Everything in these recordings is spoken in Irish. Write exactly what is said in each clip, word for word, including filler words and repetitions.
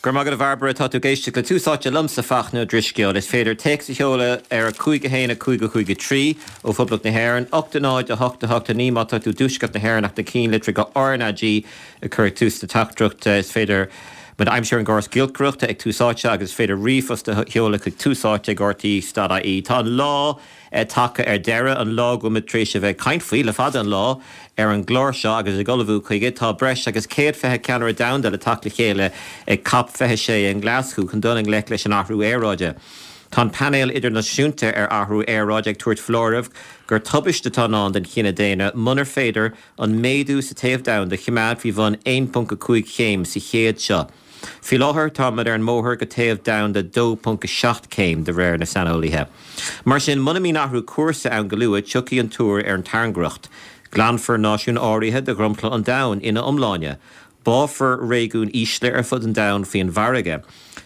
Go raibh maith agat a Bhairbre tá tú ag éisteacht le Tús Áite liomsa Fachtna Ó Drisceoil is féidir téacs a sheoladh ar a cúig a haon a cúig a cúig a trí ó Phoblacht na hÉireann, ocht a náid a hocht a hocht a naoi má tá tú i dtuaisceart na hÉireann ach na cinnlitreacha RnaG a chur ag tús na teachtaireachta. Is féidir muid a aimsiú ar an gcóras giolcaireachta ag Tús Áite agus is féidir ríomhphost a sheoladh chuig túsáite ag rte dot ie. Tá an lá tagtha ar deireadh, an lá go bhfuil muid tar éis a bheith ag caint faoi le fada an lá ar an gclár seo agus ag ullmhú chuige. Tá breis agus céad fiche ceannaire domhanda le teacht le chéile ag Cop fiche sé i nGlaschú chun dul i ngleic leis an athrú aeráide. Tá an Painéal Idirnáisiúnta ar Athrú Aeráide ag tabhairt foláireamh gur tubaiste atá i ndán don chine daonna munar féidir an méadú sa téamh domhanda a choimeád faoi bhun aon ponc a cúig chéim sa chéad seo. Faoi láthair, táimid ar an mbóthar go téamh domhanda dó ponc a seacht céim, de réir na saineolaithe. Mar sin, muna mbíonn athrú cúrsa ann go luath, tiocfaidh an tuar ar an tairngreacht. Glanfar náisiúin áirithe de dhromchla an domhain ina iomláine. Báfar réigiúin ísle ar fud an domhain faoin bhfarraige.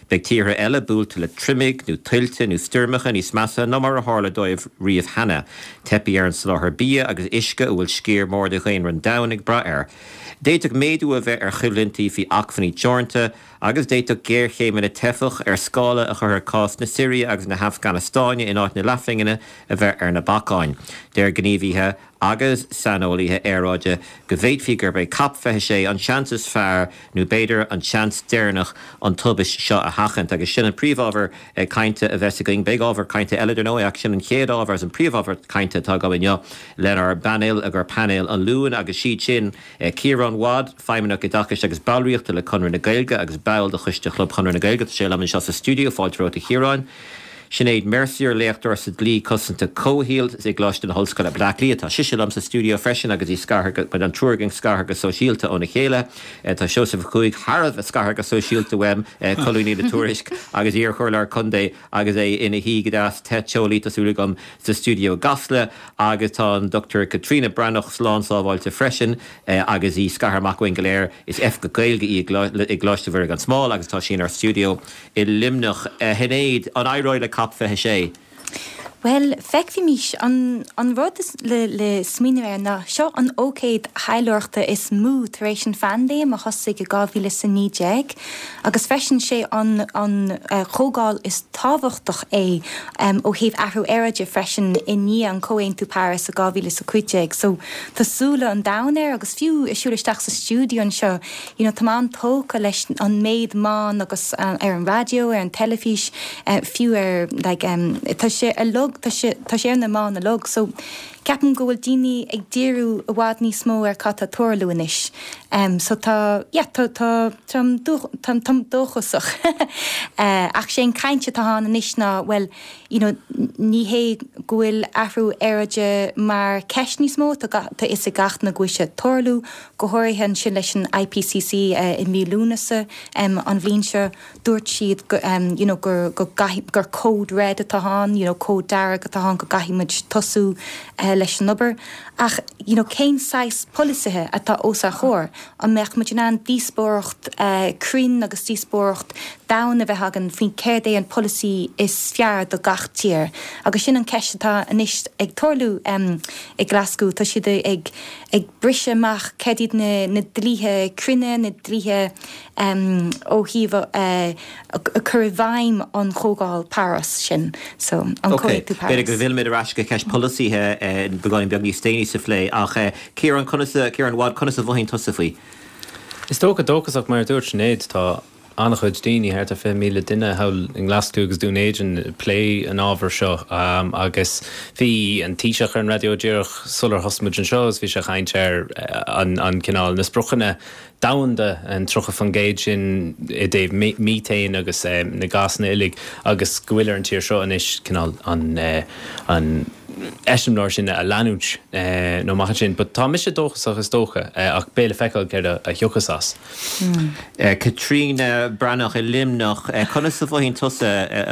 Beidh tíortha eile buailte le triomaigh nó tuilte nó stoirmeacha níos measa ná mar a tharla dóibh riamh cheana. Teipfidh ar an soláthar bia agus uisce a bhfuil sciar mór de dhaonra an domhain ag brath air. D'fhéadfadh méadú a bheith ar choimhlintí faoi acmhainní teoranta agus d'fhéadfadh géarchéimeanna teifeach ar scála a chuirfeadh cás na Siria agus na hAfganastáine in áit na leathphingine a bheith ar na bacáin. Deir gníomhaithe agus saineolaithe aeráide go bhféadfaí gurb é Cop fiche sé an seans is fearr nó b'fhéidir an seans deireanach an tubaist seo a sheachaint. Agus sin an príomhábhar cainte a bheas againn. Beidh ábhar cainte eile dar ndóigh ach sin an chéad ábhar agus an príomhábhar cainte atá agam inniu lenár bpainéal agur painéal an Luain agus siad sin Ciarán Wadd, Feidhmeannach Oideachais agus Ballraíochta le Conradh na Gaeilge agus ball de Choiste Chlub Chonradh na Gaeilge. Tá sé liom anseo sa stiúideo. Fáilte romhat a Chiaráin. Sinéad Mercier, léachtóir sa dlí cosanta comhshaoil i gColáiste na hOllscoile Bleá Cliath. Tá sise liom sa stiúideo freisin agus í scartha, an triúr againn scartha go sóisialta óna chéile. Tá Seosamh Ó Cuaig thar a bheith scartha go sóisialta uaim, colúnaí le Tuairisc agus iar-chomhairleoir contae agus é ina shuí go deas te teolaí, tá súil agam, sa stiúideo i gCasla. Agus tá an Dochtúir Caitríona Breathnach slán sábháilte freisin agus í scartha amach uainn go léir. Is Oifigeach Gaeilge í i gColáiste Mhuire gan Smál agus tá sí inár stiúideo i Luimneach. A Shinéad, an éireoidh le Cop fiche sé? Bhuel, feicfimís. An an rud is le le smaoineamh air ná seo an ócáid taidhleoireachta is mó tar éis an phaindéim a thosaigh i dhá mhíle is a naoi déag agus freisin sé an an chomhdháil is tábhachtach é ó thaobh athrú aeráide freisin i ndiaidh an Comhaontú Paris i dhá mhíle is a cúig déag. So tá súile an domhain air agus fiú ag siúl isteach sa stiúideo anseo, you know, tá mé an-tógtha leis an méid meán agus ar an raidió, ar an teilifís, fiú ar like tá sé uilig, tá sé, tá sé ar na meáin uilig. So ceapaim go bhfuil daoine ag díriú i bhfad níos mó ar cad tá ag tarlú anois. So tá, yeah, tá, tá, táim táim táim dóchasach. Ach sé an caint atá ann anois ná, bhuel, you know, ní hé go bhfuil athrú aeráide mar ceist níos mó, tá tá a fhios ag gach duine go bhfuil sé ag tarlú, go háirithe ansin leis an IPCC i mí Lúnasa an bhliain seo, dúirt siad go you know gur go gcaithfidh gur code red atá ann, you know cód dearg atá ann go gcaithfidh muid tosú leis an obair. Ach you know cén saghas polasaithe atá os ár gcomhair? An mbeadh muid in ann díospóireacht cruinn agus díospóireacht domhain a bheith againn faoin céard é an polasaí is fearr do gach tír? Agus sin an ceist atá anois ag tarlú i Glasgow. Tá siad ag ag briseadh amach céard iad na na dlíthe cruinne, na dlíthe ó thaobh cur i bhfeidhm an Chomhdháil Paris sin, so an Comhaontú Paris. B'fhéidir go bhfillfimid ar ais go ceist polasaithe beagáinín beag níos déanaí sa phlé ach Ciarán, conas a, Ciarán Wadd, conas a mhothaíonn tusa faoi? Is dócha dóchasach mar a dúirt Sinéad, tá an-chuid daoine, thart ar fiche míle duine thall i nGlaschú agus Dún Éideann ag plé an ábhair seo agus bhí an Taoiseach ar an raidió díreach sular thosaigh muid anseo agus bhí sé ag caint ar an an cineál na spriocanna domhanda, an tríocha faoin gcéad sin i dtaobh míthéin agus na gásanna uilig agus go bhfuil ar an tír seo anois cineál an an eiseamláir sin a leanúint nó amach ansin. But tá mise dóchasach is dócha ach beidh le feiceáil céard a thiocfas as. Caitríona Breathnach i Luimneach, conas a mhothaíonn tusa,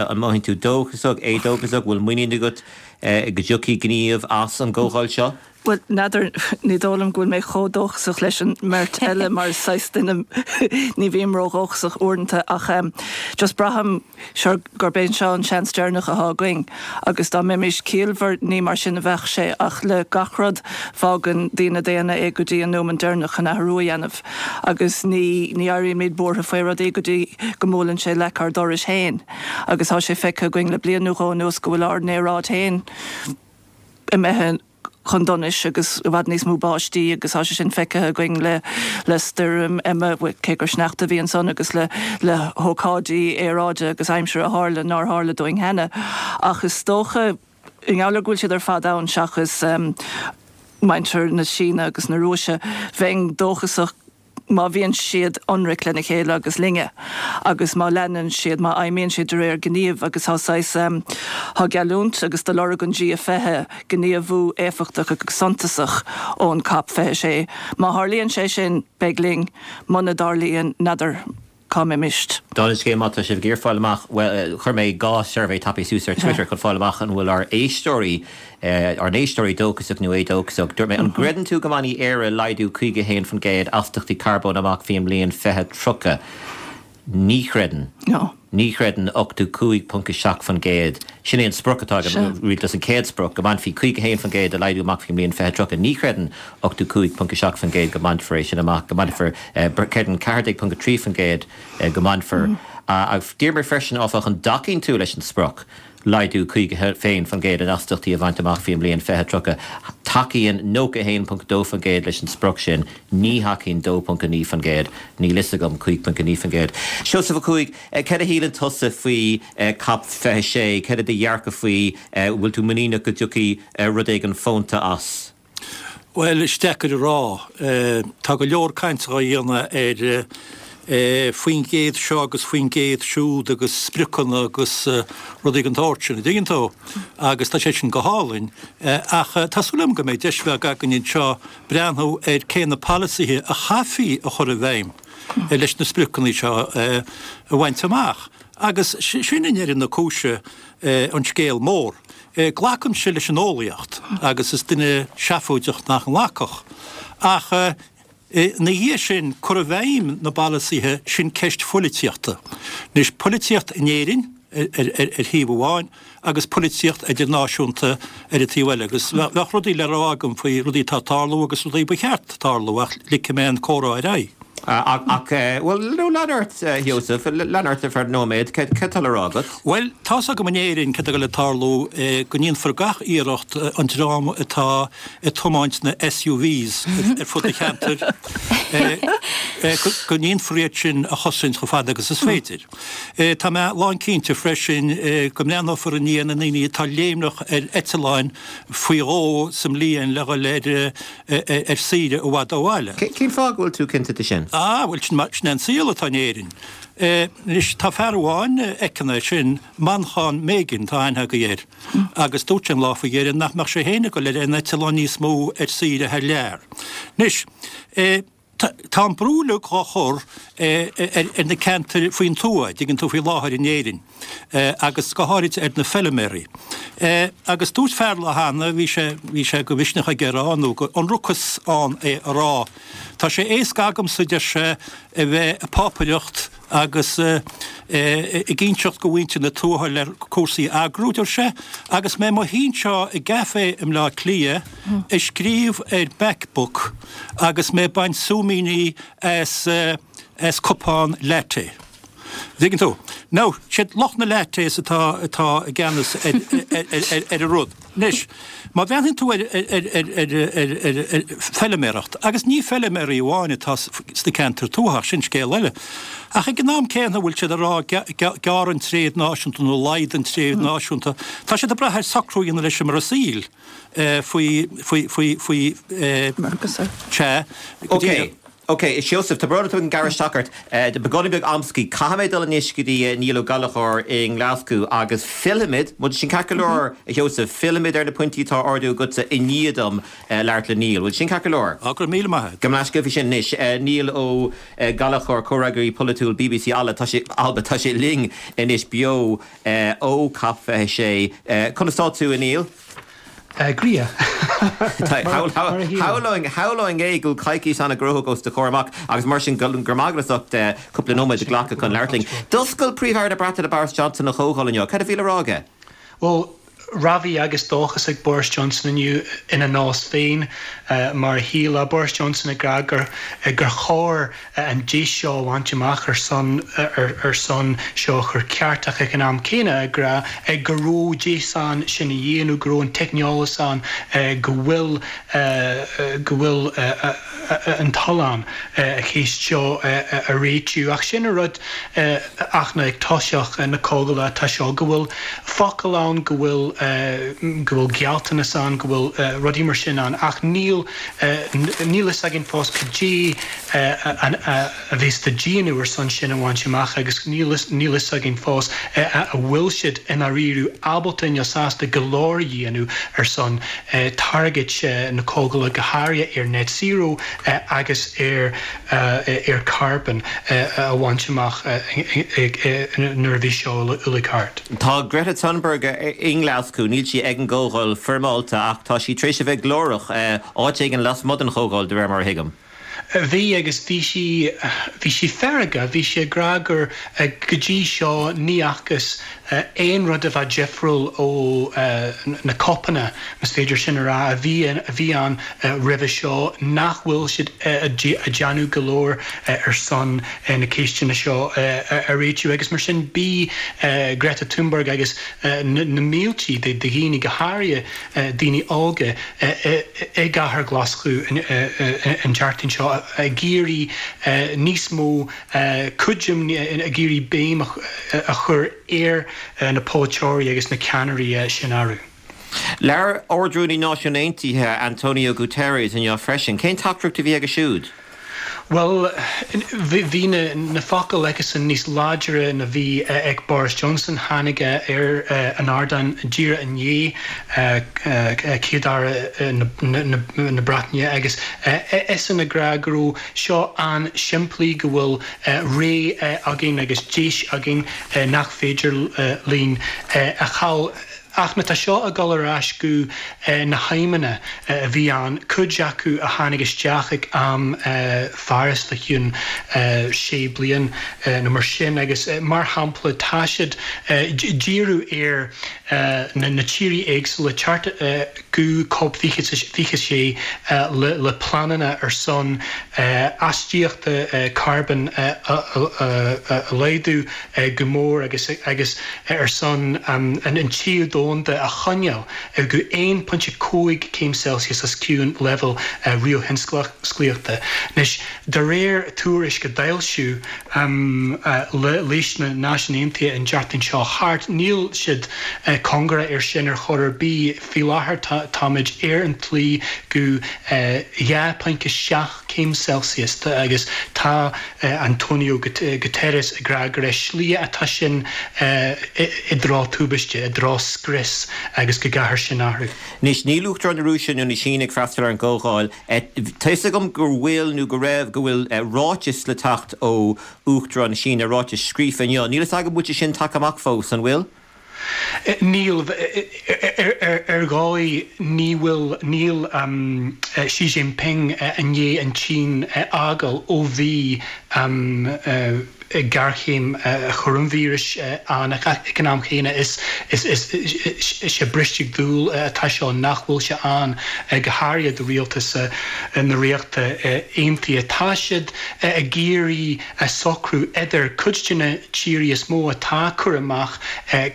an mothaíonn tú dóchasach, éadóchasach, bhfuil muinín agat go dtiocfaidh gníomh as an gcomhdháil seo? Bhuel, n'fheadar, ní dóigh liom go bhfuil mé chomh dóchasach leis an mbeirt eile mar is saghas duine ní bhím ródhóchasach uaireanta ach just braithim sure gurb é seo an seans deireanach atá againn agus dá mbeimis ciallmhar ní mar sin a bheadh sé ach le gach rud fágann daoine daonna é go dtí an nóiméad deireanach chun athrú a dhéanamh agus ní ní éirímid buartha faoi rudaí go dtí go mbuaileann sé leac ár dorais féin agus tá sé feicthe againn le bliain nó dhó anuas go bhfuil ár n-aeráid féin imithe chun donais agus i bhfad níos mó báistí agus tá sé sin feicthe againn le le stoirm Emma, cé gur sneachta a bhí ansan agus le le hócáidí aeráide agus aimsire a tharla nár tharla dúinn cheana. Ach is dócha, i ngeall ar go bhfuil siad ar fad ann seachas muintir na Síne agus na Rúise, bheinn dóchasach má bhíonn siad ionraic lena chéile agus linne agus má leanann siad, má fheidhmíonn siad de réir gníomh agus tá saghas, tá geallúint agus do lorg an G fiche gníomhú éifeachtach agus suntasach ón Cop fiche sé. Má tharlaíonn sé sin, beidh linn, muna dtarlaíonn, n'fheadar cá mbeimist. Dála an scéil, má tá sibh ag iarraidh fáil amach, bhuel, chuir mé dhá suirbhé tapaidh suas ar Twitter chun fáil amach an bhfuil ár éisteoirí, ár n-éisteoirí dóchasach nó éadóchasach. Dúirt mé, an gcreideann tú go mbainfidh Éire laghdú caoga a haon faoin gcéad astachtaí carbóin amach faoin mbliain fiche tríocha? Ní chreideann. No. Ní chreideann ochtó cúig ponc a seacht faoin gcéad. Sin é an sprioc atá ag an rialtas, an chéad sprioc, go mbainfí caoga a haon faoin gcéad de laghdú amach faoin mbliain fiche tríocha. Ní chreideann ochtó cúig ponc a seacht faoin gcéad go mbainfear é sin amach, go mbainfear, creideann ceathair déag ponc a trí faoin gcéad go mbainfear. Ach d'iarr mé freisin, áfach, an dtacaíonn tú leis an sprioc? laghdú caoga a haon faoin gcéad in astachtaí a bhaint amach faoin mbliain fiche tríocha. Tacaíonn nócha a haon ponc dó faoin gcéad leis an sprioc sin, ní thacaíonn dó ponc a naoi faoin gcéad, níl fhios agam, cúig ponc a naoi faoin gcéad. Seosamh Ó Cuaig, céard a shíleann tusa faoi Cop fiche sé? Céard é do dhearcadh faoi? An bhfuil tú muiníneach go dtiocfaidh rud éigin fónta as? Bhuel, is deacair a rá. Tá go leor cainte á dhéanamh ar faoin gcéad seo agus faoin gcéad siúd agus spriocanna agus rudaí den tsórt sin, an dtuigeann tú? Agus tá sé sin go hálainn. Ach tá súil agam go mbeidh deis bheag againn anseo breathnú ar cé na polasaithe a chaithfí a chur i bhfeidhm leis na spriocanna seo a bhaint amach. Agus sin i ndeireadh na cúise an scéal mór. Glacaimse leis an eolaíocht agus is duine seafóideach nach nglacfadh. Ach ina dhiaidh sin, cur i bhfeidhm na bpolasaithe, sin ceist phoilitíochta. Anois, poilitíocht in Éirinn ar thaobh amháin agus poilitíocht idirnáisiúnta ar an taobh eile. Agus bheadh rudaí le rá agam faoi rudaí atá ag tarlú agus rudaí ba cheart tarlú ach ligfidh mé an comhrá ar aghaidh. Ach, bhuel, no, lean ort, a Sheosaimh, lean ort ar feadh nóiméad, céard atá le rá agat? Bhuel, tá's agam in Éirinn céard atá ag dul a tarlú, go ndéanfar gach iarracht an dream atá ag tiomáint na SUVs ar fud an cheantair, go ndéanfar iad sin a chosaint chomh fada agus is féidir. Tá mé lánchinnte freisin go mbreathnófar i ndiaidh na ndaoine atá léimneach ar eitleáin faoi dhó sa mbliain le dhul ar ar saoire i bhfad ó bhaile. Cén fáth go bhfuil tú cinnte de sin? Ah, bhuel, sin é an saol atá in Éirinn. Anois, tá fear amháin a fheiceann é sin, Manchán Magan, tá aithne agaibh air, agus dúirt sé an lá faoi dheireadh nach mbeadh sé féin ag dul ar aon eitleán níos mó ar saoire thar lear. Anois, Tá an brú uilig á chur ar na ceantair faoin tuath, dtuigeann tú, faoi láthair in Éirinn agus go háirid ar na feilméaraí. Agus dúirt fear lá cheana, bhí sé, bhí sé de mhisneach aige a rá, nó d'ionracas ann é a rá, tá sé éasca agamsa, deir sé, a bheith ag pápaireacht agus ag inseacht go mhuintir na tuaithe le cúrsaí a eagrú, deir sé, agus mé i mo shuí anseo i gcaifé i mBleá Cliath ag scríobh ar MacBook agus mé ag baint súimíní as as cupán latte. Dtuigeann tú? Now, siad lucht na lattes atá atá i gceannas ar ar ar an rud. Anois, má bhreathnaíonn tú ar ar ar ar ar ar ar feilméaracht, agus ní feilméaraí amháin atá sna ceantair tuaithe, ach sin scéal eile, ach ag an am céanna bhfuil siad ag rá gearr an tréad náisiúnta nó laghdaigh an tréad náisiúnta, tá siad ag brath ar socrú a dhéanamh leis an mBrasaíl faoi faoi faoi faoi Mercosur. Sea, go díreach. Ok, a Sheosaimh, tá brón orm ag gearradh isteach ort. Beagáinín beag amscaí. Caithfidh mé dul anois go dtí Niall Ó Gallchóir i nGlaschú agus fillfimid, bhfuil sin ceart go leor, a Sheosaimh, fillfimid ar na pointí atá á ardú agatsa i ndiaidh dom labhairt le Niall. Bhfuil sin ceart go leor? Á, go raibh míle maith agat. Gabh mo leithscéal faoi sin anois. Niall Ó Gallchóir, comhfhreagraí polaitiúil bbc Alba, tá sé, Alba, tá sé linn anois beo ó Cop fiche sé. Conas tá tú, a Niall? Griofa. Shamhlóinn é go bhfuil coicís an-ghnóthach os do chomhair amach agus mar sin go raibh maith agat as ucht cúpla nóiméad a ghlacadh chun labhairt linn. D'oscail Príomh-Aire na Breataine Boris Johnson an chomhdháil inniu. Cad a bhí le rá aige? Well, rabhadh agus dóchas ag Boris Johnson inniu ina nós féin mar a shílfeá Boris Johnson ag rá gur gur chóir an deis seo a bhaint amach ar son ar son seo a chur ceart ach ag an am céanna ag rá go raibh deis ann sin a dhéanamh go raibh an teicneolaíocht ann go bhfuil go bhfuil an toil ann an cheist seo a réitiú ach sin an rud ach na ag toiseach na comhdhála atá seo go bhfuil focail ann go bhfuil go bhfuil gealltanas ann go bhfuil rudaí mar sin ann ach níl níl a fhios againn fós cad é a bheas á dhéanamh ar son sin a bhaint amach agus níl níl a fhios againn fós a bhfuil siad i ndáiríre ábalta nó sásta go leor a dhéanamh ar son target na comhdhála go háirithe ar net zero agus ar ar carbon a bhaint amach nuair a bhí seo uilig thart. Tá Greta Thunberg i nGlaschú, níl sí ag an gcomhdháil foirmeálta ach tá sí tar éis a bheith glórach áit éigin lasmuigh den chomhdháil de réir mar a thuigim. Bhí agus bhí sí bhí sí feargach, bhí sí ag rá gur go dtí seo ní fhacthas aon rud a bheith difriúil ó na COPanna más féidir sin a rá a bhí a bhí ann roimhe seo nach bhfuil siad ag déanamh go leor ar son na ceisteanna seo a réitiú agus mar sin bhí Greta Thunberg agus na mílte de dhaoine go háirithe daoine óga i gcathair Ghlaschú an tseachtain seo ag iarraidh níos mó cuidim ag iarraidh béim a chur ar na polaiteoirí agus na ceannairí sin arú. Labhair Ard-Rúnaí Náisiúin Aontaithe Antonio Guterres inniu freisin, cén teachtaireacht a bhí aige siúd? Well bhí na na focail aigesan níos láidre ná bhí ag Boris Johnson tháinig ar an ardán díreach i ndiaidh Chéad-Aire na Breataine agus eisean ag rá go raibh seo an-simplí go bhfuil ré againn agus deis againn nach féidir linn a chaill. Ach má tá seo ag dul ar ais go na haidhmeanna a bhí ann, cuid acu a tháinig isteach ag am Pháras fá chionn sé bliain nó mar sin agus mar shampla tá siad díriú ar na tíortha éagsúla teacht go COP fiche fiche sé le pleananna ar son astaíochta carbón a laghdú go mór agus agus ar son an téamh domhanda a choinneáil go aon pointe cúig céim Celsius os cionn leibhéal réamhthionsclaíochta. Anois, de réir tuairisc a d'fhoilsiú leis na Náisiúin Aontaithe an tseachtain seo thart, níl siad cóngarach ar sin ar chor ar bith. Faoi láthair táimid ar an tslí go dhá pointe seacht céim Celsius agus tá Antonio Guterres ag rá gur slí atá sin i dtreo tubaiste, i dtreo scrios agus go gcaithfear sin athrú. Anois, níl Uachtarán na Rúise nó na Síne ag freastal ar an gcomhdháil. Tá fhios agam go bhfuil nó go raibh go bhfuil ráiteas le teacht ó Uachtarán na Síne, ráiteas scríofa inniu. Níl fhios agam bhfuil sé sin tagtha amach fós, an bhfuil? Níl ar dhóigh ní bhfuil níl Xi Jinping i ndiaidh an tSín a fhágáil ó bhí géarchéim choróinvíris ann ach ag an am chéanna is is is is é bristeadh dúl atá seo nach bhfuil sé ann go háirithe do rialtas na Ríochta Aontaithe. Tá siad ag iarraidh socrú idir cuid de na tíortha is mó atá ag cur amach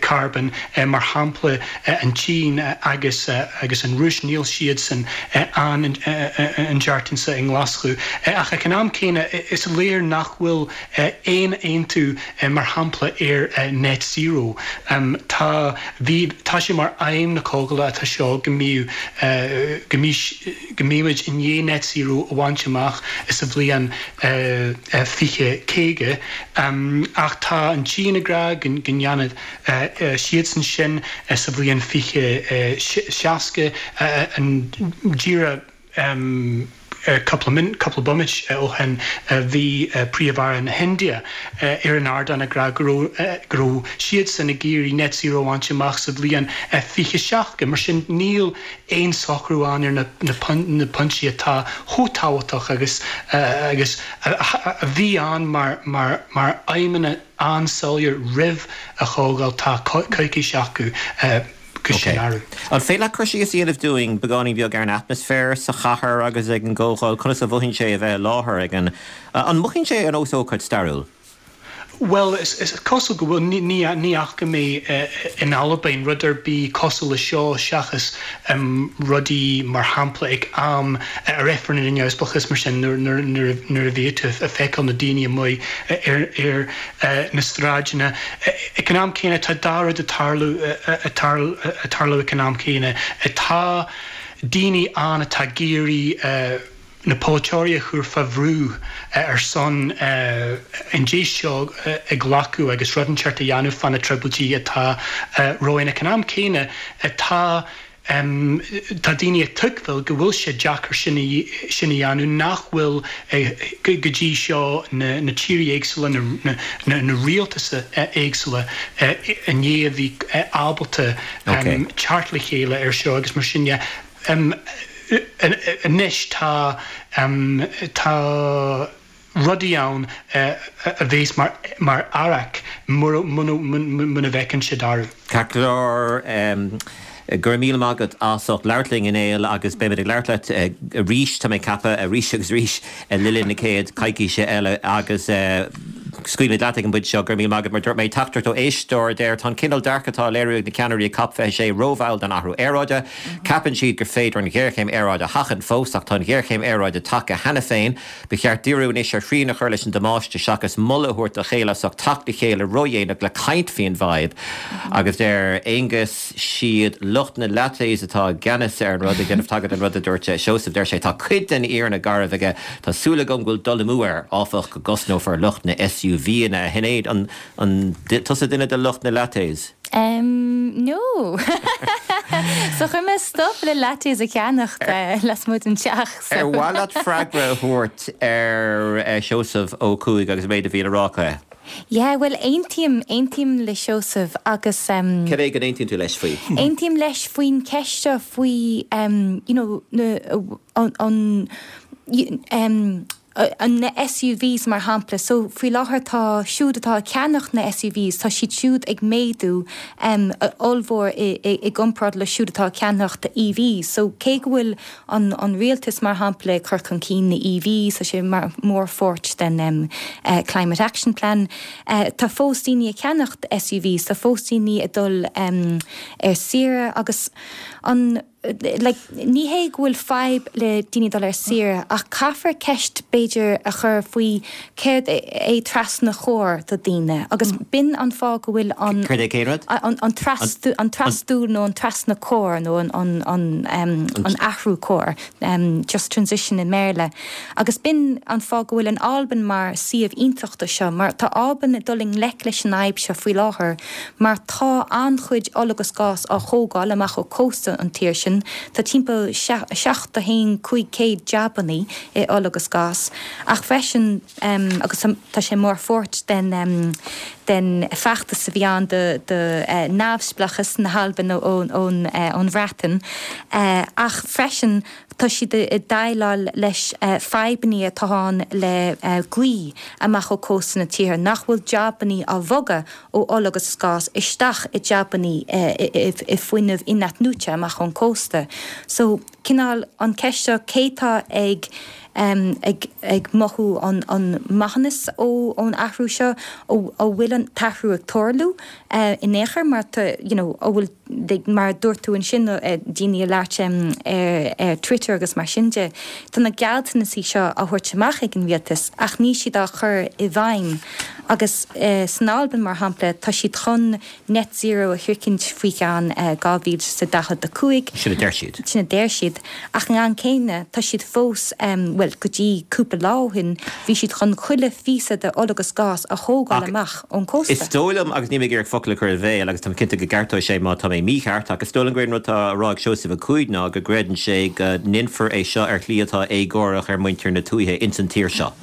carbón mar shampla an tSín agus agus an Rúis níl siadsan ann an tseachtain seo i nGlaschú ach ag an am céanna is léir nach bhfuil aon aontú mar shampla ar net zero. Tá bhí tá sé mar aidhm na comhdhála atá seo go mbíodh go go mbeimid i ndiaidh net zero a bhaint amach sa bhliain fiche caoga ach tá an tSín ag rá go ndéanfaidh siadsan sin sa bhliain fiche seasca an díreach Cúpla cúpla bomaite ó shin bhí Príomh-Aire na hIndia ar an ardán ag rá go raibh go raibh siadsan ag iarraidh net zero a bhaint amach sa bhliain fiche seachtó. Mar sin níl aon socrú ann ar na na pointí atá chomh tábhachtach agus agus a bhí ann mar mar mar aidhmeanna an-soiléir roimh an chomhdháil tá coicís acu go sin athrú. An féidir leat cur síos a dhéanamh dúinn beagáinín beag ar an atmaisféar sa chathair agus ag an gcomhdháil, conas a mhothaíonn sé a bheith i láthair ag an an mothaíonn sé ar nós ócáid stairiúil? Well, is, is cosúil go bhfuil ní ní fhaca mé in Albain rud ar bith cosúil le seo seachas um, rudaí mar shampla ag am a referendum neamhspleáchas mar sin nuair a bhí tú ag feiceáil na daoine amuigh ar ar na sráideanna. Ag an am céanna tá dhá rud ag tarlú ag tarlú ag an am céanna. Tá daoine ann atá ag iarraidh na polaiteoirí a chur fá bhrú ar son an deis seo a ghlacadh agus rud inteacht a dhéanamh fá na trioblóidí atá romhainn. Ag an am céanna tá tá daoine ag tuigbheáil go bhfuil sé deacair sin sin a dhéanamh nach bhfuil go dtí seo na na tíortha éagsúla na na na rialtais éagsúla i ndiaidh a bhí ábalta teacht le chéile ar seo agus mar sin de. Anois tá tá rudaí ann a bheas mar mar fhearg mura muna bhfeiceann siad athrú. Ceart go leor, go raibh míle maith agat as ucht labhairt linn a Néill agus beimid ag labhairt leat arís, tá mé ag ceapadh, arís agus arís le linn na chéad coicíse eile agus scaoilfimid leat ag an bpointe seo. Go raibh míle maith agat. Mar dúirt mé, teachtaireacht ó éisteoir, deir, Tá an cineál dearcadh atá á léiriú ag na ceannairí ag Cop fiche sé rómhall don athrú aeráide. Ceapann siad gur féidir an ghéarchéim aeráide a sheachaint fós, ach tá an ghéarchéim aeráide tagtha cheana féin. Ba cheart díriú anois ar shrian a chur leis an damáiste seachas moladh a thabhairt dá chéile as ucht teacht le chéile ródhéanach le caint faoin bhfadhb. Agus deir Aonghus, siad lucht na lattes atá i gceannas ar an rud, ag déanamh tagairt don rud a dúirt Seosamh. Deir sé, Tá cuid den fhírinne garbh aige. Tá súil agam go bhfuil dul amú air, áfach, go gcosnófar lucht na SUVanna. A Shinéad, an an tusa duine de lucht na lattes? Um, no. So chuir mé stop le lattes a cheannacht lasmuigh den teach. So. Ar mhaith leat freagra a thabhairt ar Seosamh Ó Cuaig agus an méid a bhí le rá aige? Yeah, well aontaím, aontaím le Seosamh agus um, Cad é go n-aontaíonn tú leis faoi? Aontaím leis faoin cheist seo faoi um, you know, na, an, an, um, an na S U Vs mar shampla. So faoi láthair tá siúd atá ag ceannach na S U Vs, tá siad siúd ag méadú um, ollmhór i, i, i gcomparáid le siúd atá ag ceannacht E Vs. So cé go bhfuil an, an rialtas mar shampla ag cur chun cinn na E Vs, tá sé mar mórpháirt den um, uh, Climate Action Plan, uh, tá fós daoine ag ceannacht S U Vs, tá fós daoine ag dul um, ar saoire agus an like, ní hé go bhfuil fadhb le daoine dul ar saoire ach caithfear ceist b'fhéidir a chur faoi céard é trasnú cóir do daoine agus mm. b'in an fáth go bhfuil an Céard é cén rud? an, an, trasú, an trasú nó an trasnú cóir nó an, an, an, um, an athrú cóir um, just transition i mBéarla. Agus b'in an fáth go bhfuil an Albain mar suíomh iontach do seo, mar tá Albain ag dul i ngleic leis an fhadhb seo faoi láthair, mar tá an-chuid ola agus gás á thógáil amach ó cósta an tír sin. Tá timpeall seacht a haon cúig céad jabannaí i ola agus gás. Ach freisin um, agus tá sé mórpháirt den, um, den feachtas a bhí ann de, de uh, neamhspleáchas na hAlban ón, ón, uh, ón Bhreatain. Uh, ach freisin tá siad ag déileáil leis uh, fadhbanna atá ann le uh, gaoth amach ó cósta na tíre, nach bhfuil jabannaí á bhogadh ó ola agus gás isteach i jabannaí uh, i, i, i fuinneamh inathnuaite amach ón cósta. So cineál an ceist seo cé tá ag um, ag, ag mothú an, an maitheas ó ón athrú seo ó ó bhfuil an t-athrú ag tarlú uh, in aon chor mar tá, you know, ó bhfuil mar dúirt tú ansin uh, daoine ag labhairt um, ar, ar Twitter agus mar sin de. Tá na gealltanaisí seo á thabhairt amach ag an rialtas ach níl siad á chur i bhfeidhm. Agus uh, san Albain mar shampla tá siad chun net zero a shroichint faoi cheann uh, dhá mhíle sa daichead a cúig. Sin a deir siad. Sin a deir siad. siad ach an am céanna tá siad fós bhuel go dtí cúpla lá ó shin bhí siad chun chuile phíosa de ola agus gás a thógáil amach ón cósta. Is dóigh liom agus níl mé ag iarraidh focal a chur i bhéal agus táim cinnte go gceartóidh sé má tá mé mícheart ach is dóigh liom gur an rud atá á rá ag Seosamh Ó Cuaig ná go gcreideann sé go ndéanfar é seo ar shlí atá éagórach ar muintir na tuaithe ins an tír seo.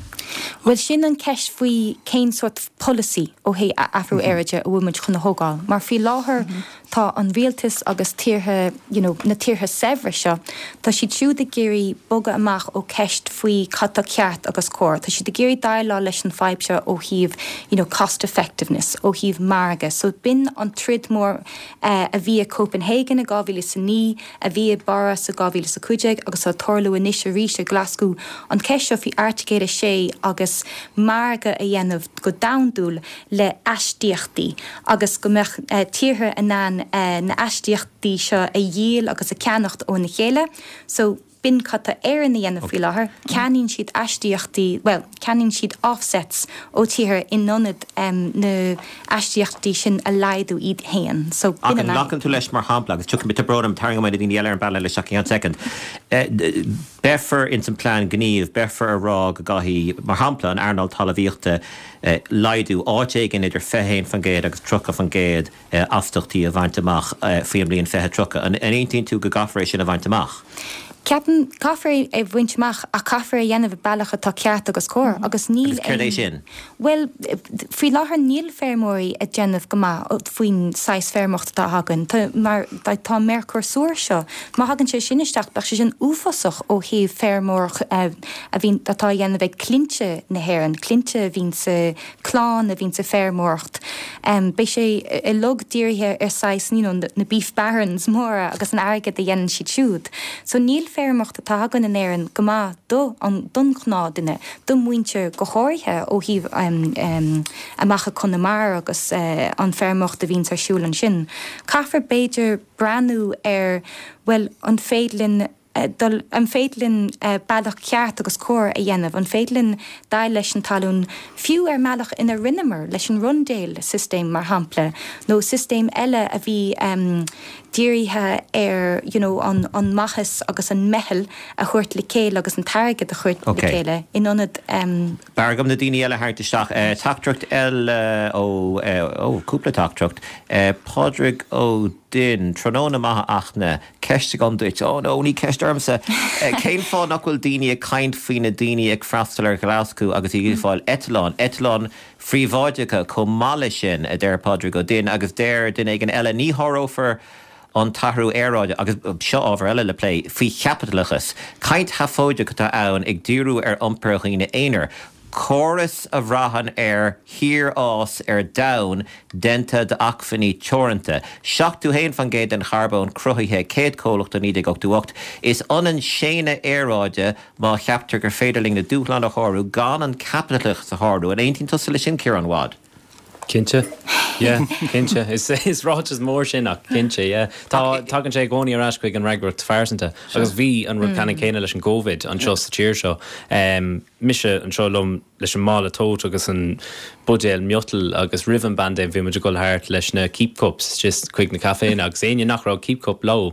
Bhuel sin an ceist faoi cén sórt polasaí ó thaobh athrú aeráide a bhfuil muid chun a thógáil. Mar faoi láthair tá an rialtas agus tíortha you know, na tíortha saibhre seo, tá siad siúd ag iarraidh bogadh amach ó ceist faoi cad tá ceart agus cóir. Tá siad ag iarraidh déileáil leis an fadhb seo ó thaobh you know, cost effectiveness, ó thaobh margadh. So b'in an troid mór uh, a bhí i Copenhagen i dhá mhíle is a naoi, a bhí i bPáras i dhá mhíle is a cúig déag agus tá tarlú anois arís i Glasgow an ceist seo faoi Airteagal a sé agus margadh a dhéanamh go domhandúil le aistíochtaí agus go mbeadh uh, tíortha in ann uh, na aistíochtaí seo a dhíol agus a cheannacht óna chéile. So b'in cad tá Éirinn a dhéanamh faoi láthair, ceannaíonn siad aistíochtaí, well, ceannaíonn siad offsets ó tíortha in ionad um, na aistíochtaí sin a laghdú iad féin. So Ach an nglacann tú leis mar shampla agus tugann tá brón tarraing na daoine eile ar an bpainéal le seach an second. Beifear ins an plean gníomh, beifear a rá go gcaithfidh mar shampla an earnáil talmhaíochta laghdú áit éigin idir fiche haon faoin gcéad agus tríocha faoin gcéad astaíochtaí a bhaint amach faoin mbliain fiche tríocha. An aontaíonn tú go gcaithfear é sin a bhaint amach? Ceapaim caithfear é bhaint amach ach caithfear é dhéanamh i bealach atá ceart agus cóir agus níl Agus céard é sin? Well, faoi láthair níl feirmeoirí ag déanamh go maith faoin saghas feirmeoireacht atá againn. Tá mar tá Mercosur seo, má thagann sé sin isteach bheadh sé sin uafásach ó thaobh feirmeoireacht a bhíonn atá á dhéanamh ag clainne na hÉireann, clainne a bhíonn sa clann a bhíonn sa feirmeoireacht. Um, beidh sé uilig dírithe ar saghas you know, na beef barons móra agus an airgead a dhéanann siad siúd. So níl feirmeoireacht atá againn in Éirinn go maith do an don ghnáthduine, do mhuintir go háirithe ó thaobh um, um, amach i Conamara agus uh, an feirmeoireacht a bhíonn ar siúl ansin. Caithfear b'fhéidir breathnú ar well an féidir linn dul an féidir linn bealach ceart agus cóir a dhéanamh, an féidir linn déileáil leis an talún fiú ar mbealach ina rinneamar leis an Rundale system mar shampla, nó system eile a bhí um, dírithe ar you know, an, an maitheas agus an meitheal a thabhairt le chéile agus an t-airgead a thabhairt okay. le chéile in ionad um, B'fhearr dom na daoine eile thart isteach uh, teachtaireacht eile ó uh, ó cúpla teachtaireacht uh, Pádraig Ó Duinn tráthnóna maith Fhachtna ceist agam duit ó nó ní ceist ormsa cén fáth nach bhfuil daoine ag caint faoi na daoine ag freastal ar Ghlaschú agus iad ag fáil eitleán eitleán phríobháideacha chomh maith leis sin a deir Pádraig Ó Duinn agus deir duine éigin eile ní shárófar an t-athrú aeráide agus seo ábhar eile le plé faoi chaipitleachas. Caint sheafóideach atá ann ag díriú ar iompar dhaoine aonair. Córas a bhraitheann ar shíorfhás ar domhan déanta d'acmhainní teoranta. Seachtó haon faoin gcéad den charbón cruthaithe céad comhlacht i naoi déag ochtó ocht. Is ionann séanadh aeráide má cheaptar gur féidir linn na dúshláin a shárú gan an caipitleachas a shárú an aontaíonn tusa leis sin Ciarán Wadd. Cinnte Yeah, cinnte is is ráiteas mór sin ach cinnte yeah. Tá tagann sé i gcónaí ar ais chuig an fhreagracht phearsanta agus bhí an rud ceannann céanna leis an gCovid anseo sa tír seo. Um, mise anseo liom leis an mála tote agus an buidéal miotail agus roimh an bpaindéim bhí muid ag dul thart leis na keep cups just chuig na caiféanna agus éinne nach raibh keep cup leo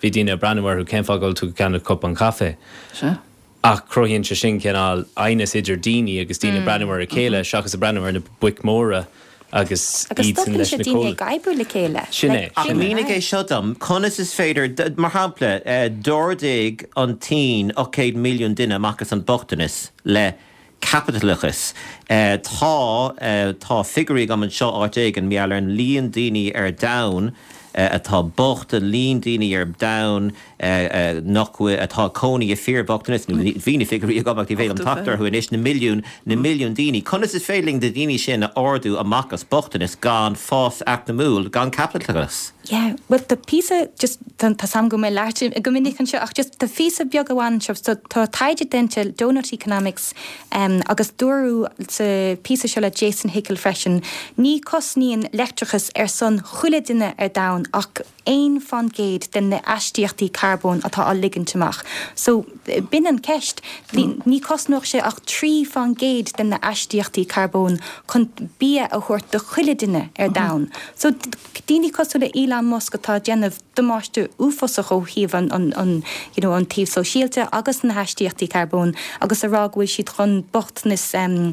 bhí daoine ag breathnú orthu cén fáth go bhfuil tú ag ceannach cupán caife. Sea. Ach cruthaíonn sé sin cineál aighneas idir daoine agus daoine breathnú ar a chéile seachas a breathnú ar na boic mhóra agus Agus iad sin stopann leis sé na daoine cóil. ag oibriú le chéile. Sin é. Like, Ach sin mínigh é seo dom, conas is féidir, d- mar shampla, eh, d'ardaigh an tSín ocht gcéad milliún duine amach as an bochtanas le caipitleachas. Eh, tá eh, tá figiúirí agam anseo áit éigin mar gheall ar an líon daoine ar domhan eh, atá bocht an líon daoine ar domhan eh, eh, nach bhfuil atá cónaí i fíorbhochtanas nó bhí na figiúirí agam ach ní féidir liom teacht orthu anois na milliún na milliún daoine. Conas is féidir linn na daoine sin a ardú amach as bochtanas gan fás eacnamúil gan caipitleachas. Yeah, well tá píosa just tá tá sam go mé leat go minic anseo ach just tá píosa beag amháin seo so tá taighde déanta Doughnut Economics um, agus dúradh sa píosa seo le Jason Hickel freisin. Ní cosnaíonn leictreachas ar son chuile duine ar domhan domhan ach aon faoin gcéad den na astaíochtaí carbóin atá á ligint amach. So b'in an ceist, ní chosnódh sé ach trí faoin gcéad den na astaíochtaí carbóin chun bia a thabhairt do chuile duine ar domhan. So daoine cosúil le Elon Musk atá ag déanamh damáiste uafásach ó thaobh an, an, an, you know, an taobh sóisialta agus na hastaíochtaí carbóin agus a rá go bhfuil siad chun bochtanas um,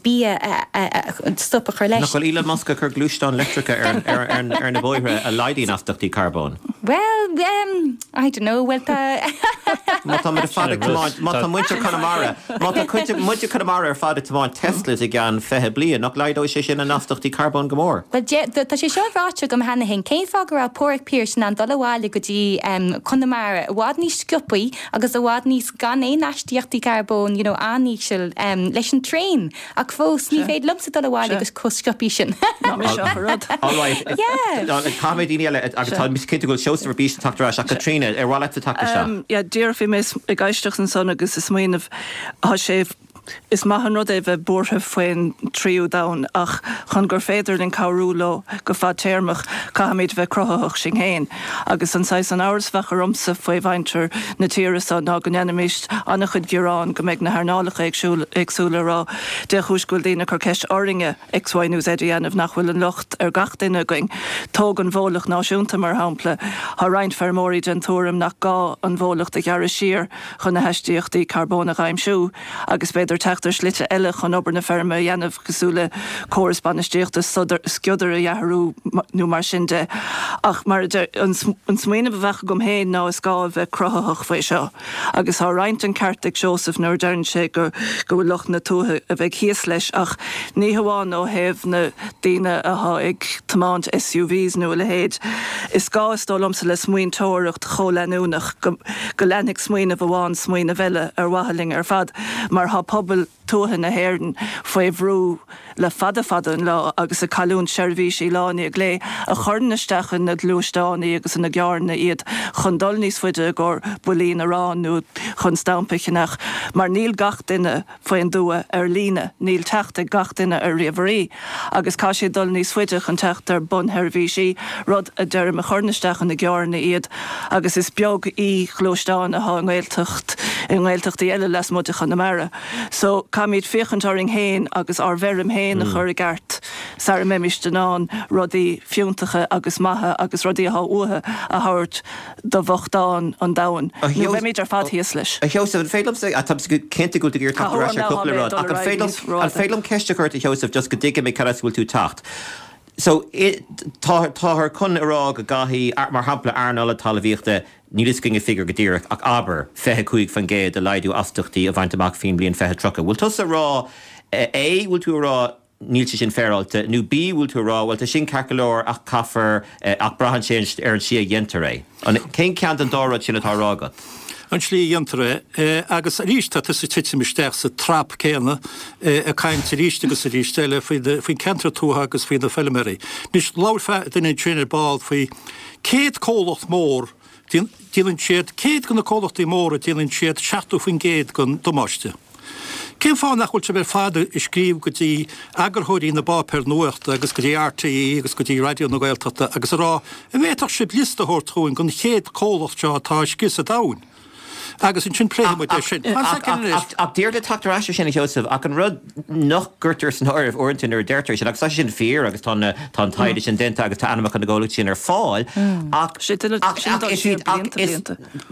bia a, a, a, stop a chur leis. Nach bhfuil Elon Musk ag cur gluaisteáin leictreacha ar, ar, ar, ar na bóithre a laghdaíonn astaíochtaí carbóin? Well, um, I don't know, well tá Má tá muid fad ag tiomáint, má tá muintir Conamara, má tá cuid muintir Conamara ar fad ag tiomáint Teslas i gceann fiche bliain, nach laghdóidh sé sin an astaíochtaí carbóin go mór? Well, tá sé seo ráite agam cheana féin cén fáth go raibh Pádraig Pearse in ann dul abhaile go dtí um, Conamara i bhfad níos sciobtha agus i bhfad níos gan aon astaíochtaí carbóin you know, an-íseal um, leis an traein ach fós ní féidir liomsa dul abhaile agus chomh sciobtha sin. Ná mé seo rud. All right. Yeah. Caithfidh daoine eile agus tá mé cinnte go bhfuil Seosamh ar bís ag teacht ar ais ach Caitríona ar mhaith leat teacht isteach. Um, yeah, díreach bhí mé ag éisteacht ansan agus ag smaoineamh tá sé is maith an rud é bheith buartha faoin tríú domhan ach chun gur féidir linn cabhrú leo go fadtéarmach caithfimid bheith cruthaitheach sinn féin. Agus an saghas an amhras a bheadh ormsa faoi mhuintir na tíre seo ná go ndéanfaimis an-chuid gearán go mbeidh na hearnálacha éagsúla rá dé chúis go bhfuil daoine ag cur ceist orainne X, Y nó Z a dhéanamh nach bhfuil an locht ar gach duine againn. Tóg an bhólacht náisiúnta mar shampla, Tá roinnt feirmeoirí den tuairim nach gá an bhólacht a ghearradh siar chun na hastaíochtaí carbóin a aimsiú agus b'fhéidir teacht ar shlite eile chun obair na feirme a dhéanamh cosúil le córas bainistíochta sciodair a dhearadh nó mar sin de. Ach mar an smaoineamh a bheadh agam féin ná is gá a bheith cruthaitheach faoi seo. Agus tá roinnt an ceart ag Seosamh nuair a deireann sé go go bhfuil lucht na tuaithe a bheith thíos leis ach ní hamháin ó thaobh na daoine atá ag tiomáint SUVs nó a leithéid. Is gá is dóigh liomsa le smaointeoireacht chomhleanúnach go, go leanfaidh smaoineamh amháin smaoineamh eile ar mhaithe linn ar fad, mar tá pobal tuaithe na hÉireann faoi bhrú le fada fada an lá agus ag cailliúint seirbhísí lá i ndiaidh lae a chuireann isteach ina ngluaisteáin agus ina gcarranna iad chun dul níos faide i gcomhair builín aráin nó chun stampa a cheannach, mar níl gach duine faoin dtuath ar líne, níl teacht ag gach duine ar ríomhairí agus caithfidh siad dul níos faide chun teacht ar bunsheirbhísí, rud a deirim a chuireann isteach ina gcarranna iad agus is beag e-ghluaisteán atá i nGaeltacht i nGaeltachtaí eile lasmuigh de Chonamara. So caithfimid féachaint orainn féin agus ár bhfeirm féin a chur i gceart sara mbeimid in ann rudaí fiúntacha agus maithe agus rudaí atá uathu a thabhairt do bhochtáin an domhain. Nó beimid ar fad thíos leis. A Sheosaimh, an féidir liomsa, tá cinnte go bhfuil tú ag iarraidh teacht ar ais ar cúpla rud, ach an féidir liom, an féidir liom ceist a chur ort a Sheosaimh just go dtuigfidh mé cad as a bhfuil tú ag teacht. So tá táthar chun a rá go gcaithfidh, mar shampla, earnáil na talmhaíochta, níl fhios againn an figiúr go díreach, ach abair, fiche cúig faoin gcéad de laghdú astaíochtaí a bhaint amach faoin mbliain fiche tríocha. Bhfuil tusa ag rá A, bhfuil tú ag rá níl sé sin féaráilte, nó B, bhfuil tú ag rá bhuel tá sin ceart go leor ach caithfear, ach braitheann sé ar an tslí a dhéantar é. An, cén ceann den dá rud sin atá á rá agat? An tslí a dhéantar é. Agus arís tá tusa ag titim isteach sa trap céanna, ag caint arís agus arís eile faoin ceantar tuaithe agus faoi na feilméaraí. Anois, labhair duine ansin ar ball faoi céad comhlacht mór, déanann siad, céad de na comhlachtaí móra, déanann siad seachtó faoin gcéad den damáiste. Cén fáth nach bhfuil sibh ar fad ag scríobh go dtí eagarthóirí na bpáipéar nuachta agus go dtí RTÉ agus go dtí Raidió na Gaeltachta agus a rá, an bhféadfadh sibh liosta a thabhairt chugainn den chéad comhlacht seo atá ag scrios an domhain? Agus ansin pléifidh muid é sin. Fan soicind anois. Ach d'iarr le teacht ar ais ar sin, a Sheosaimh, ach an rud nach gcuirtear san áireamh uaireanta nuair a deirtear é sin, agus tá sé sin fíor agus tá na, tá an taighde sin déanta agus tá ainmneacha na gcomhlachtaí sin ar fáil, ach, ach, ach is iad, ach is,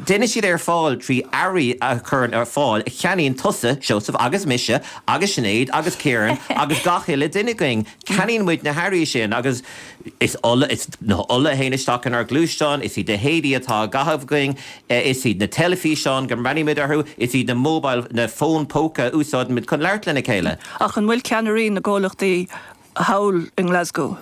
déanann siad é ar fáil trí earraí a chuireann ar fáil a cheannaíonn tusa, Seosamh, agus mise, agus Sinéad, agus Ciarán, agus gach uile duine againn. Ceannaíonn muid na hearraí sin agus is ola, is na ola a théann isteach inár ngluaisteáin, is iad na héadaí atá á gcaitheamh againn, is iad na teilifíseáin go mbreathnaímid orthu, is iad na mobile, na fóin póca a úsáidimid chun labhairt lena chéile. Ach an bhfuil ceannairí na gcomhlachtaí thall i nGlasgow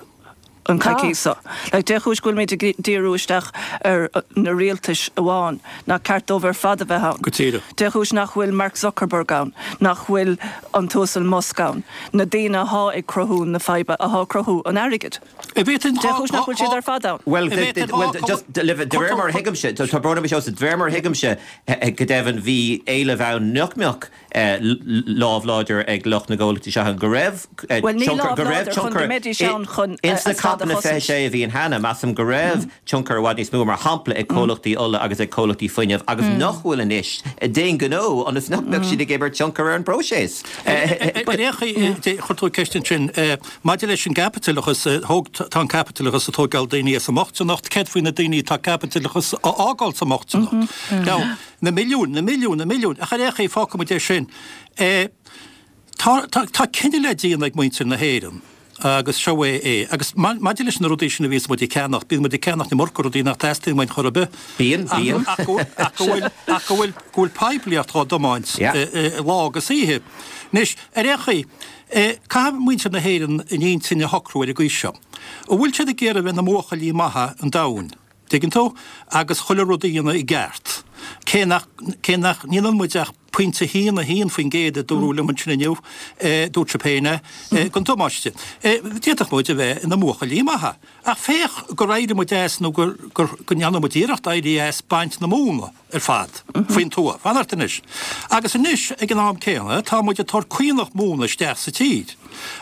an coicís seo? Like, dé chúis go bhfuilimid ag díriú isteach ar na rialtais amháin, nach ceart dóibh ar fad a bheith ann? Go díreach. Dé chúis nach bhfuil Mark Zuckerberg ann, nach bhfuil an tUasal Musk ann, na daoine athá ag cruthú na faidhbe, athá ag cruthú an airgid? Dé chúis nach bhfuil siad ar fad ann? Bhuel, just de réir mar a thuigimse, tá brón orm a Sheosaimh, de réir mar a thuigimse, go deimhin bhí éileamh ann nach mbeadh lámh láidir ag lucht na gcomhlachtaí seo ann, go raibh Bhuel, ní tionchar, lámh go raibh láidir chun tionchar go mbeidís ann chun ins na a stadadh. COP na fiche sé a bhí ann cheana, measaim go raibh tionchar i bhfad níos mó, mar shampla, ag comhlachtaí ola agus ag comhlachtaí fuinnimh agus nach bhfuil anois ag déanamh gnó ionas nach mbeadh siad ag imirt tionchar ar an bpróiseas. Ar aon chaoi, chuir tú ceist ansin maidir leis an gcaipitileachas, thóg, tá an caipitileachas ag tógáil daoine as an mbochtaineacht, céard faoi na daoine atá caipitileachas a fhágáil sa mbochtaineacht? Now, na milliúin, na milliúin, na milliúin, ach ar aon chaoi, fágfaidh muid é sin. Tá, tá, tá cinneadh le déanamh ag muintir na hÉireann agus seo é é. Agus maidir leis na rudaí sin a bhíos muid ag ceannach, bíonn muid ag ceannach an iomarca rudaí nach dteastaíonn uainn chor ar bith. Bíonn, bíonn. Ach go bhfuil, ach go bhfuil, ach go bhfuil, go bhfuil poiblíocht á dtiomáint lá agus oíche. Anois, ar aon chaoi, caithfidh muintir na hÉireann a n-intinn a shocrú ar an gcaoi seo. An bhfuil siad ag iarraidh a bheith ina mbuachaillí maithe an domhain? Tuigeann tú? Agus chuile rud a dhéanamh i gceart. Cé nach, cé nach ndéanann muid ach pointe haon a haon faoin gcéad a dúradh liom ansin inniu, dúirt sibh féin é, den damáiste. D'fhéadfadh muid a bheith ina mbuachaillí maithe. Ach féach gur éirigh muid as nó gur, gur, go ndearna muid iarracht éirí as baint na móna ar fad faoin tuath. Fan ort anois. Agus anois, ag an am céanna, tá muid ag tabhairt caonach móna isteach sa tír.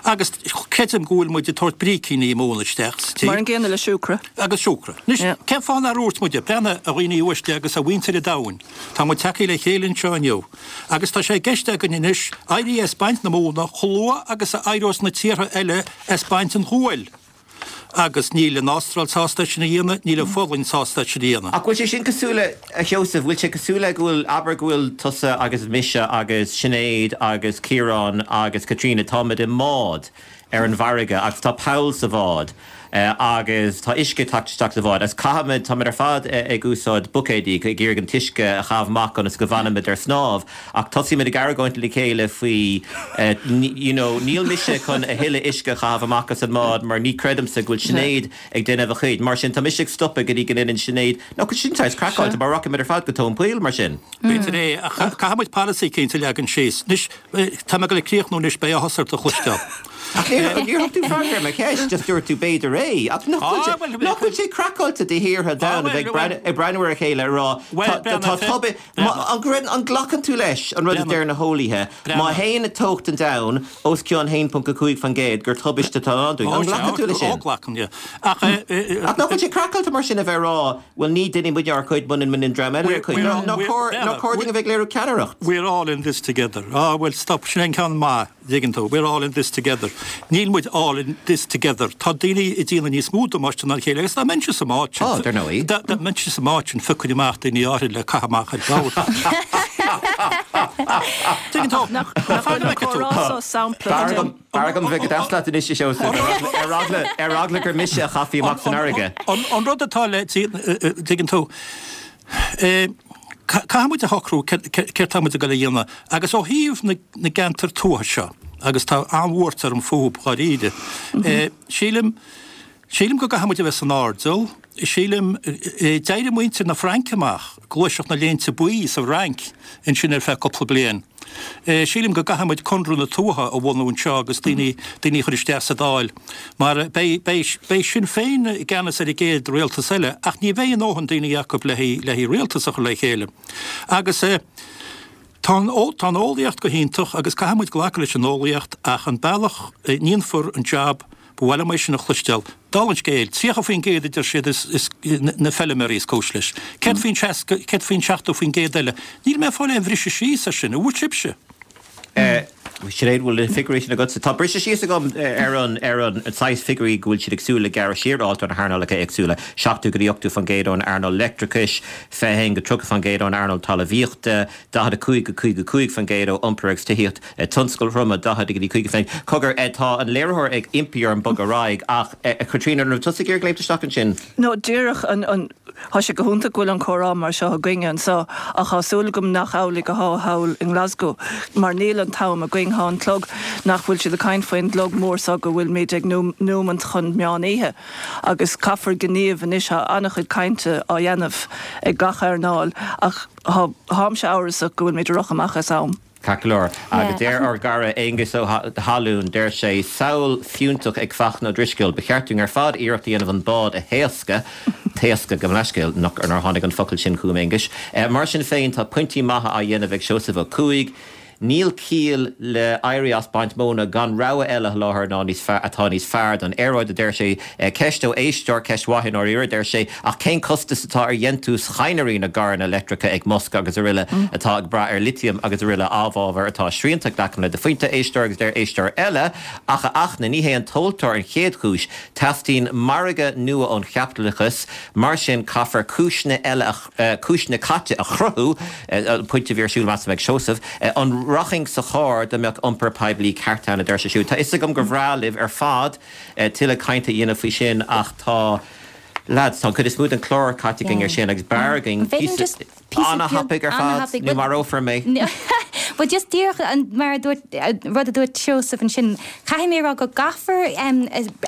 Agus creidim go bhfuil muid ag tabhairt brícíní móna isteach sa tír. Mar an gcéanna le siúcra. Agus siúcra. Anois, cén fáth nár dhúirt muide, breathnaigh, a dhaoine uaisle agus a mhuintir an domhain, tá muid tagtha le chéile anseo inniu, agus tá sé i gceist againn anois éirí as baint na móna chomh luath agus a éireos na tíortha eile as baint an ghuail. Agus níl an Astráil sásta é sin a dhéanamh, níl an Pholainn sásta é sin a dhéanamh. Ach bhfuil sé sin cosúil le, a Sheosaimh, bhfuil sé cosúil le go bhfuil, abair go bhfuil tusa agus mise agus Sinéad agus Ciarán agus Caitríona, táimid i mbád ar an bhfarraige agus tá poll sa bhád agus tá uisce ag teacht isteach sa bhád agus caithfimid, táimid ar fad ag úsáid buicéidí ag iarraidh an t-uisce a chaitheamh amach ionas go bhfanfaimid ar snámh ach tosaímid ag argóint le chéile faoi you know níl mise chun a thuilleadh uisce a chaitheamh amach as an mbád mar ní chreidimse go bhfuil Sinéad ag déanamh a chuid mar sin tá mise ag stopadh go dtí go ndéanann Sinéad nó sin saghas craiceáilte mar rachaimid ar fad go tóin poill mar sin. B'fhéidir é ach caithfimid polasaí cinnte a leagan síos. Anois tá mé ag dul ag críochnú anois beidh áthas ort a chloisteáil. Ach níor thug tú freagra ar mo cheist, just dúirt tú b'fhéidir é. Ach nach bhfuil sé, nach bhfuil sé craiceáilte do thíortha domhain a bheith ag breathnú ar a chéile ag rá tá tubaiste, an gcreideann, an nglacann tú leis an rud a deir na heolaithe, má théann teocht an domhain os cionn haon ponc a cúig faoin gcéad gur tubaiste atá ann dúinn? An nglacann tú leis sin? Ó, glacaim, yeah. Ach Ach nach bhfuil sé craiceáilte mar sin a bheith ag rá, bhuel ní dhéanfaidh muidne ár gcuid muna ndéanann an dream eile a gcuid. Nach cóir, nach cóir dúinn a bheith ag léiriú ceannaireacht? We're all in this together. Ah, bhuel, stop, sin an ceann maith. dtuigeann tú, we're all in this together. Níl muid all in this together. Tá daoine ag déanamh níos mó damáiste ná a chéile agus dá mbeinnse sa mbád sin, Á, dar ndóigh. dá dá mbeinnse sa mbád sin, phiocfainn amach daoine áirithe le caitheamh amach ar bord. Tuigeann tú? Nach nach bhfuil an comhrá seo sampla B'fhearr den agam, b'fhearr agam bheith go deas leat anois, a Sheosaimh, ar eagla, ar eagla, ar eagla gur mise a chaithfí amach san fharraige. An, an rud atá le, tuigeann tú, eh, Caithfidh muid a shocrú céard tá muid ag dul a dhéanamh agus ó thaobh na gceantar tuaithe seo, agus tá an-bhuairt orm fúthu dháiríre, sílim, sílim go gcaithfidh muid a bheith san airdeall, sílim, d'éirigh muintir na Fraince amach, gluaiseacht na Léinte Buí sa Fhrainc ansin ar feadh cúpla bliain. Sílim go gcaithfidh muid Conradh na Tuaithe a bhunú anseo agus daoine, daoine a chur isteach sa Dáil mar beidh, beidh, beidh Sinn Féin i gceannas ar an gcéad rialtas eile ach ní bheidh a ndóthain daoine acu le haghaidh, le haghaidh rialtas a chur le chéile. Agus tá an, tá an eolaíocht go hiontach agus caithfidh muid glacadh leis an eolaíocht ach an bealach a ndéanfar an jab, Ba mhaith liom é sin a chloisteáil. Dála an scéil, tríocha faoin gcéad a deir siad is na feilméaraí is cúis leis. Céard faoin seasca, céard faoin seachtó faoin gcéad eile? Níl mé ag fáil aon bhriseadh síos ar sin, an bhfuil sibhse? Sinéad, bhfuil na figiúirí sin agatsa? Tá briseadh síos agam ar an ar an saghas figiúirí go bhfuil siad ag súil le gearradh siar a fháilt ó na hearnálacha éagsúla, seachtó go dtí ochtó faoin gcéad ón earnáil leictreachais, fiche a haon go tríocha faoin gcéad ón earnáil talmhaíochta, daichead a cúig go caoga a cúig faoin gcéad ó iompar agus tithíocht. Tionscail throma, daichead go dtí caoga faoin. Cogar, tá an léiritheoir ag impí orm bogadh ar aghaidh ach, a Chaitríona, an raibh tusa ag iarraidh léimt isteach ansin? No, díreach, an, an, tá sé go hiontach go bhfuil an comhrá mar seo againne anseo ach tá súil agam nach amhlaidh atá thall i nGlasgow mar níl an t-am againn, tá an clog, nach bhfuil siad ag caint faoin gclog mór seo go bhfuilmid ag nóimeant chun meán oíche agus caithfear gníomh anois, tá an-chuid cainte á dhéanamh ag gach earnáil ach tá, táimse amhrasach go bhfuilmid ag rith amach as am. Ceart go leor. Agus deir ár gcara Aengus Ó hAlúin, deir sé, samhail fiúntach ag Fachtna Ó Drisceoil, ba cheart dúinn ar fad iarracht a dhéanamh an bád a thaoscadh, taoscadh, gabh mo leithscéal, nach, nár tháinig an focal sin chugam, Aonghuis. Mar sin féin, tá pointí maithe á dhéanamh ag Seosamh Ó Cuaig, Níl ciall le éirí as baint móna gan rogha eile a sholáthar ná níos fearr atá níos fearr don aeráid, a deir sé. Ceist ó éisteoir, ceist mhaith i ndáiríre, a deir sé, ach cén costas atá ar dhéantús chadhnraí na gcarranna leictreacha ag Musk agus araile atá ag brath ar litiam agus araile amhábhar atá srianta? Glacaim le do phointe, éisteoir, agus deir éisteoir eile, ach a Fhachtna, ní hé an tomhaltóir an chéad chúis, teastaíonn margadh nua ón chaipitleachas, mar sin caithfear cúiseanna eile a, cúiseanna caite a chruthú, an pointe a bhí ar siúl measaim ag Seosamh, an rachainn sa charr dá mbeadh iompar poiblí ceart ann, a deir sé siúd. Tá 'fhios agam gur bhreá libh ar fad tuilleadh cainte a dhéanamh faoi sin ach tá, lads, tá an chuid is mó den chlár caite againn ar sin agus b'fhearr againn píosa an-thapaidh ar fad nó marófar mé. Bhuel just díreach mar a dúirt, rud a dúirt Seosamh ansin, caithfidh mé a rá go gcaithfear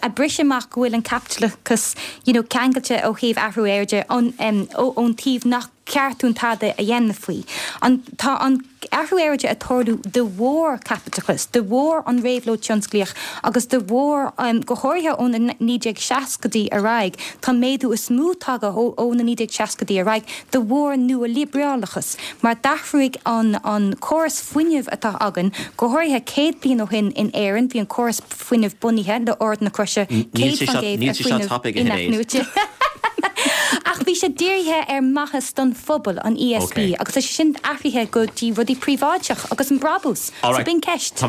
a briseadh amach go bhfuil an caipitleachas you know ceangailte ó thaobh athrú aeráide ón taobh nach ceart dúinn tada a dhéanamh faoi. An, tá an athrú aeráide ag tarlú de bharr caipitleachas, de bharr an réabhlóid tionsclaíoch agus de bharr, go háirithe ó na naoi déag seascaidí ar aghaidh, tá an méadú is mó tagtha ó na naoi déag seascaidí ar aghaidh de bharr nua-liobrálachas mar d'athraigh an an córas fuinnimh atá againn, go háirithe céad bliain ó shin in Éirinn bhí an córas fuinnimh bunaithe le Ord na Croise Níl céad sé faoin seo, gcéad níl ar sé seo fuinneamh tapaidh a Shinéad. inathnuaite. Ach bhí sé dírithe ar maitheas don phobal, an E S B, Ok. agus tá sé sin athraithe go dtí rudaí príobháideach agus an brabús. All So right. b'in ceist. Tá